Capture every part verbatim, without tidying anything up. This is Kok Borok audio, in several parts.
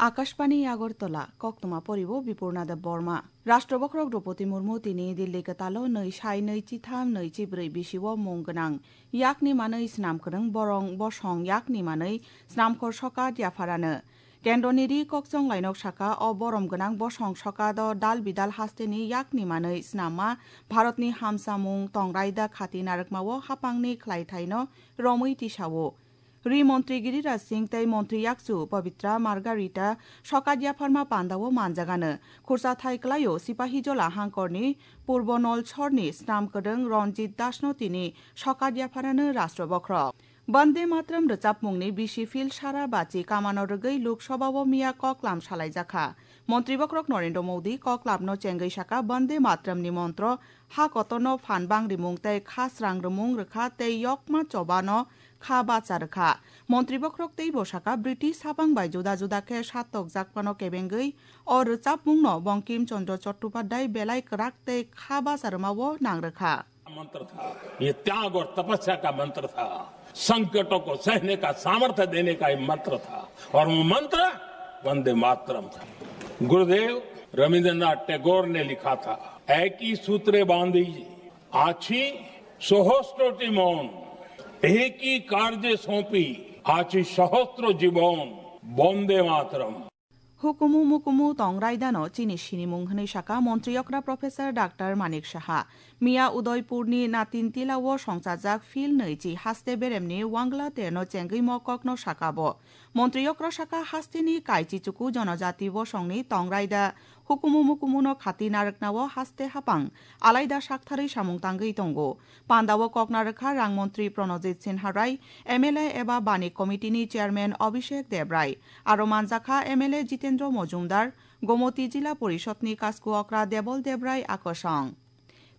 Akashbani Agartala, koktwma poribo Bipurna Deb Borma. Rashtra Bokhorok Droupadi Murmu tini Delhi kwtalo nwi sai nwi chitham nwi chibrwi bisio mung gwnang yakni manwi snam kwrwng borong bosong yakni manwi snamkhor sokat yapharano. Kendroni ri kokchong lainok saka o borom gwnang bosong sokat o dal bidal hasteni yakni manwi snamma Bharatni hamsamung tongrai da khati narwkmao hapangni khlaithaino romwi tisao. Ri montri Giriraj Singh tei montri yakchu Pabitra Margarita sokat yapharma pandao manjagano. Khursa thai klaio Sipahijola hangkorni Purbo Nolsorni snam kwrwng Ranjit Dasno tini sokat yapharano Rashtra Bokhorok. Bande Matram rwchapmungni bisi phil sara bachi kamano rwgwi Lok Sabhao miya koklam salaijakha. Montri Bokhorok Narendra Modi koklamno chengwi saka Bande Matramni montro ha kotorno phan bang rimung tei kha srang rwmung rwkha tei yokma chobano kha bacha rwkha. Montri Bokhorok teibo saka British hapang bai juda juda khe satokjak phano kebengwi o rwchapmungno Bankim Chandra Chattopadhyay belai kwrak tei kha bacha rwmao nang rwkha. मंत्र था, ये त्याग और तपस्या का मंत्र था, संकटों को सहने का सामर्थ्य देने का ये मंत्र था, और वो मंत्र वंदे मातरम था। गुरुदेव रविंद्रनाथ टैगोर ने लिखा था, একই সূত্রে বাঁধি আছি সহস্রটি মন, একই কার্যে সঁপি আছি সহস্র জীবন, বন্দে মাতরম। Hukumu mukumu tong raidano chini sinimung hwnwi saka montri okra Professor Doctor Manik Saha. Miya Udaipurni Natintila o songchajak phil nwi chi haste beremni Wangla terno chengwi mokokno saka bo. Montri okra saka hasteni kaichi chuku jonojati bosongni tong raida hukumu mukumuno khati narwknao haste hapang alaida saktharwi samung tangwi tongo. Pandao kokna rwkha rang montri Pranojit Sinha Rai, M L A eba Bani Committee ni Chairman Abhishek Debrai, aro manjakha M L A Jitendra Mojumdar, Gomoti Jila Porishod ni Kasku Okra Debol Debrai akosong.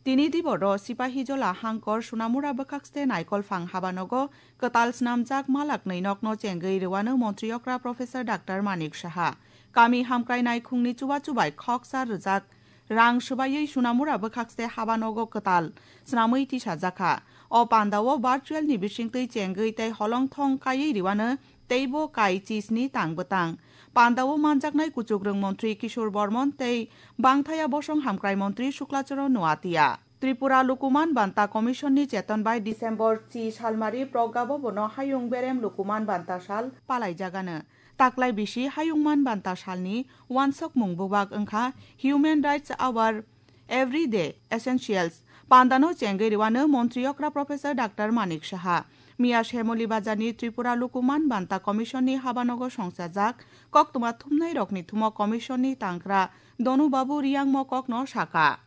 Tini diboro Sipahijola hangkor Sunamura bwkhakste Naikolphang habanogo kwtal snamjak malak nwi nokno chengwi rwano montri okra Professor Doctor Manik Saha. Kami hamkrai naikhungni chuba chubai khoksa rwjak rang swbaiwi Sunamura bwkhakste habanogo kwtal snamwi tisajakha. O pandao virtual ni bisingtwi chengwi tei holongthong kaiwi riwano teibo kai chisni tang bwtang. Pandao manjaknai kuchukrwng montri Kishore Bormon tei bangthaya bosong hamkrai montri Sukla Charan Noatia. Tripura Lukuman Banta Commission ni cheton bai December chi salmari Progga Bhabono Hayung Berem Lukuman Banta Sal palaijagano. Taklai bisi Hayungman Banta Salni wansokmung bubak wngkha Human Rights Our Everyday Essentials. Pandano chengwi rwano montri okra Professor Doctor Manik Saha. Miya Shemoli Bazarni Tripura Lukuman Banta Commission ni habanogo songchajak koktwma thumnai rokni thumo Commission ni tangkra Donu Babu Riyang mokokno saka.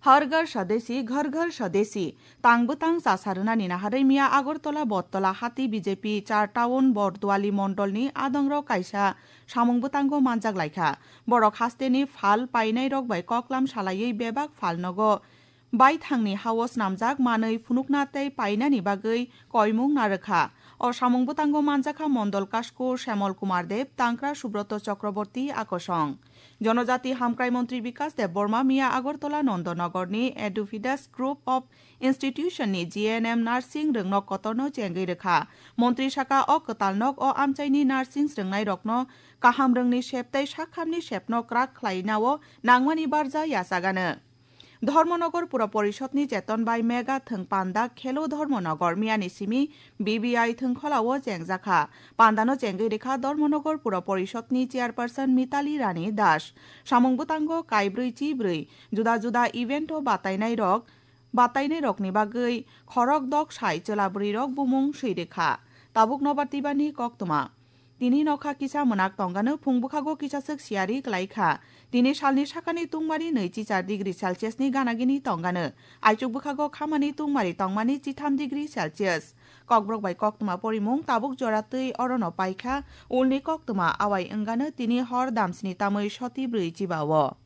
Har Ghar Swadeshi, Ghar Ghar Swadeshi, tang bwtang chasa rwnani naharwi miya Agartala Bottola hati B J P char town Borduali mondolni adongrok kaisa samung bwtango manjak laikha. Borok hasteni phal painairok bai koklam salaiwi bebak phal nogo baithangni hao snamjak manwi phunukna tei painani bagwi koimung narwkha. O samung bwtango manjakha Mondol Kasku Shemol Kumar Deb, Tangkra Subroto Chakraborty akosong. Jonojati Hamkrai Montri Bikas Deb Borma miya Agartala Nondonogorni Edufidas Group of Institution ni G N M nursing rwngnok kotorno chengwi rwkha. Montri saka o kwtal nok o amchaini nursing rwngnai rokno kaham rwngni sep tei sakhamni sepno kwrak khlainao nangmani barja yachagano. Dharmanagar Pura Porishod ni cheton bai mega thwng panda Khelo Dharmanagar miyani simi B B I thwngkhola o chengjakha. Pandano chengwi rikha Dharmanagar Pura Porishod ni chairperson Mitali Rani Das. Samung bwtango kaibrwi chibrwi juda juda event o batainai rok, batainai rokni bagwi khorok dok sai chwla bwrwi rok bumung swi rikha. Tabuk nobar tibani koktwma. Tini nokha kisa mwnak tongano phung bwkhago kisaswk siyari kwlaikha. Tini salni sakani tungmari nwi chichar degree Celsius ni ganagini tongano. Aichuk bwkhago khamani tungmari tongmani chitham degree Celsius. Kokborok bai koktwma porimung tabuk jora twi orono paikha. Ulni koktwma awai wngano tini hor damsni tamwi soti brwi chibao.